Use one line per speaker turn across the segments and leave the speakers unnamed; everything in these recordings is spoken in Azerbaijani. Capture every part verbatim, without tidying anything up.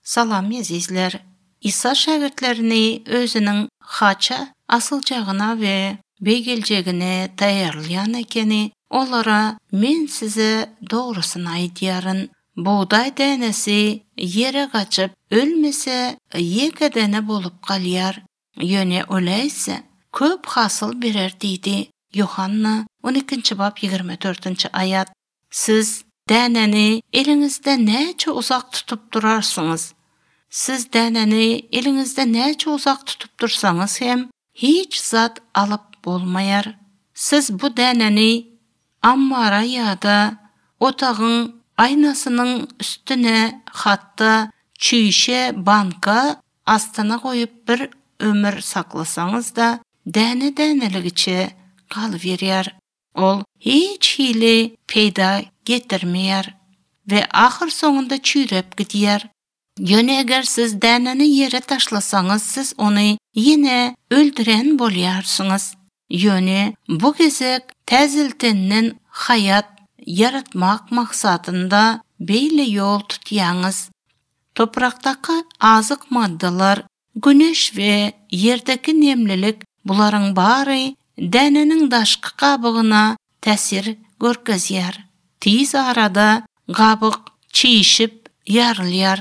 Salam azizler. İsa şagirdlerini özünün haça asılcağına ve begelcegine tayarlayan ekeni olara men size doğrusunu aytyarın. Buğday denesi yere kaçıp ölmese yekedene bolup kalyar. Yöne öyleyse köp hasıl birer deydi. Yuhanna on ikinci bab yigirme dördüncü ayat. Siz däneni elinizde näçe uzak tutup durarsınız. Siz däneni elinizde näçe uzak tutup dursanız hem hiç zat alıp bolmayar. Siz bu däneni ammara ýa-da otağın aynasının üstüne hatta çüýşe banka astyna koyup bir ömür saklasanız da däne däneligiçe galyberýär. Ol hiç hile peyda getirmeýär ve ahir soňunda çüýrep gidýär. Ýöne eger siz däneni yere taşlasaňyz, siz ony ýene öldüren bolýarsyňyz. Ýöne bu gezek täziltenden hayat yaratmak maksadında beýle ýol tutýaňyz. Toprakdaky azyk maddalar, güneş we yerdeki nemlilik bularyň bary dänenin daşky kabygyna täsir görkezýär. Tiz arada gabyk çiýişip ýarylýar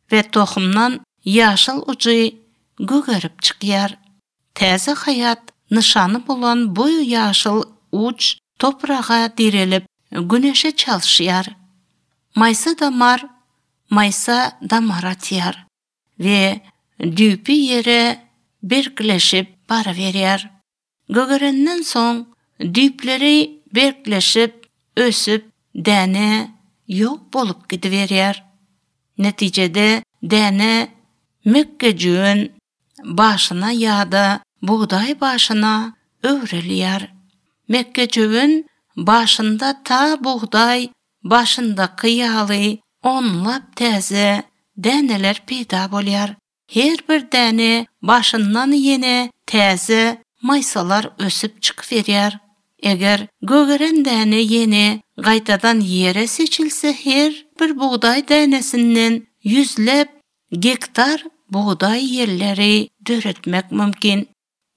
we tohumdan ýaşyl uçy gögerip çykýar. Täze hayat nişany bolan bu ýaşyl uç toprağa direlip güneşe çalşýar. Maysa damar, maysa damar atýar we düýpü ýere berkleşip baraberýär. Gögerenden soň düýpleri berkleşip, ösüp, däne ýok bolup gidiberýär. Netijede däne mekkejüň başyna ýa-da buğday başyna öwrelýär. Mekkejüň başynda ta buğday başyndaky ýaly onlap täze däneler peýda bolýar. Her bir däne başyndan ýene täze maysalar ösüp çykyberýär. Eger gögeren däne ýene gaýtadan ýere seçilse, her bir buğday dänesinden yüzlep gektar buğday ýerleri döretmek mümkin.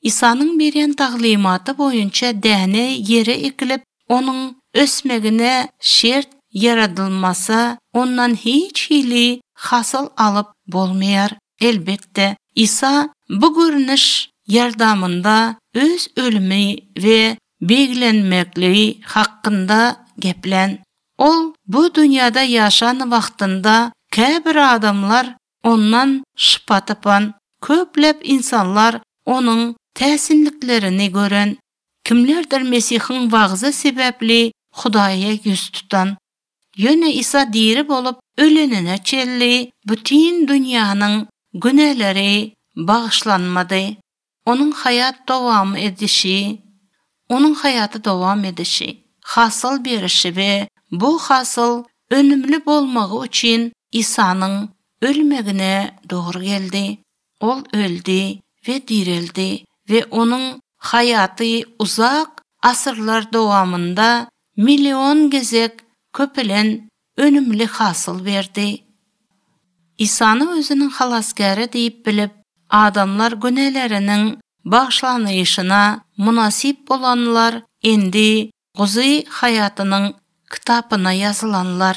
İsa'nın beren taglimaty boýunça däne ýere ekilip, onuň ösmegine şert yaradylmasa, ondan hiç hili hasyl alyp bolmaýar. Elbette İsa bu görnüş yardamında öz ölümi ve begilenmekliği hakkında geplen. Ol bu dünyada yaşan wagtynda käbir adamlar ondan şypa tapan, köplep insanlar onun täsinliklerini gören, kimlerdir Mesihiň wagzy sebäpli Hudaýa yüz tutan. Ýöne İsa diri bolup ölenine çelli bütün dünýäniň güneleri bağışlanmady. Onun hayat dowam edişi, onun hayatı dowam edişi, hasyl berişi we bu hasyl önümlü bolmagy üçin İsa'nın ölmegine dogry geldi. Ol öldü ve dirildi ve onun hayaty uzak asyrlar dowamında milyon gezek köpelen önümlü hasyl berdi. İsa'ny özüniň halasgary diýip bilip, adamlar günelerinin bağışlanýyşyna munasip bolanlar endi Guzy hayatynyň kitapyna ýazylanlar.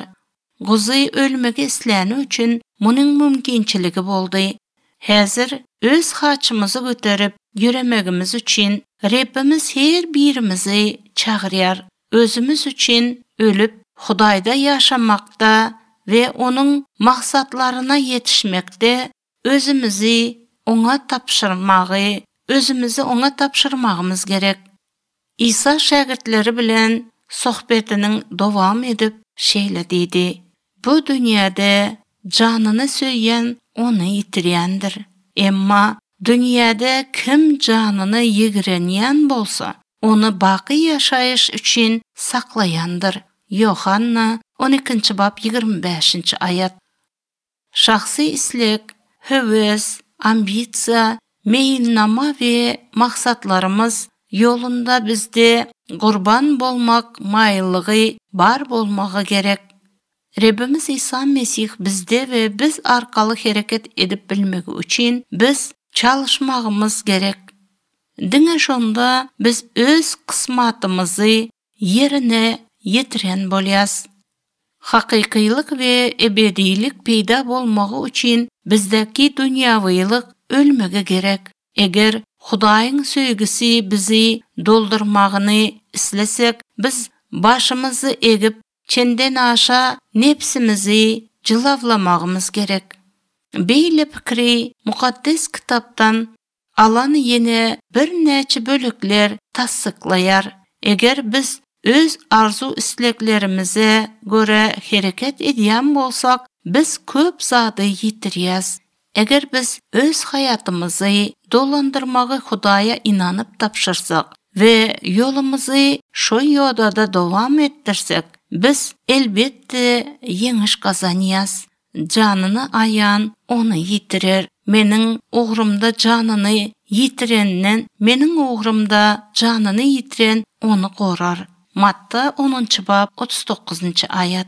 Guzy ölmegi isläni üçin munyň mümkinçiligi boldy. Häzir öz haçymyzy göterip ýüremegimiz üçin Rebbimiz her birimizi çagyrýar. Özümüz üçin ölüp Hudaýda ýaşamakda ve onuň maksatlaryna ýetişmekde özümüzi oňa tapşyrmagy, özümüzi oňa tapşyrmagymız gerek. İsa şagirdleri bilen sohbetiniň dowam edip şeýle diýdi: Bu dünýäde janyny söýýän ony ýitirýändir. Emma dünýäde kim janyny ýigrenýän bolsa, ony baky ýaşaýyş üçin saklaýandyr. Yuhanna on ikinci bab yigirme beşinci ayat. Şahsy islek, höwes, ambisiýa, meýilnama we maksatlarymız ýolunda bizde gurban bolmak maýyllygy bar bolmagy gerek. Rabbimiz İsa Mesih bizde ve biz arkalı hareket edip bilmek için biz çalışmağımız gerek. Diňe şonda biz öz kısmatımızı yerine yetiren bolýas. Hakykylyk we ebedilik peýda bolmagy üçin bizdeki dünýäwilik ölmege gerek. Eger Hudaýyň söýgüsi bizi doldurmagyny islesek, biz başymyzy egip çenden aşa nepsimizi jylavlamagymyz gerek. Beýle pikri mukaddes kitapdan alan yine bir näçe bölükler tassyklaýar. Eger biz öz arzu isteklerimize göre hareket edýän bolsak, biz köp zady ýitirýäs. Eger biz öz hayatımızı dolandırmagy Hudaýa inanyp tapşyrsak ve yolumuzy şo ýolda dowam etdirsek, biz elbetde ýeňiş gazanýas. Janyny ayan onu ýitirer. Meniň ugrumda janyny ýitirenden, meniň ugrumda janyny ýitiren onu gorar. Matta onunçy bab otuz dokuzunçy ayat.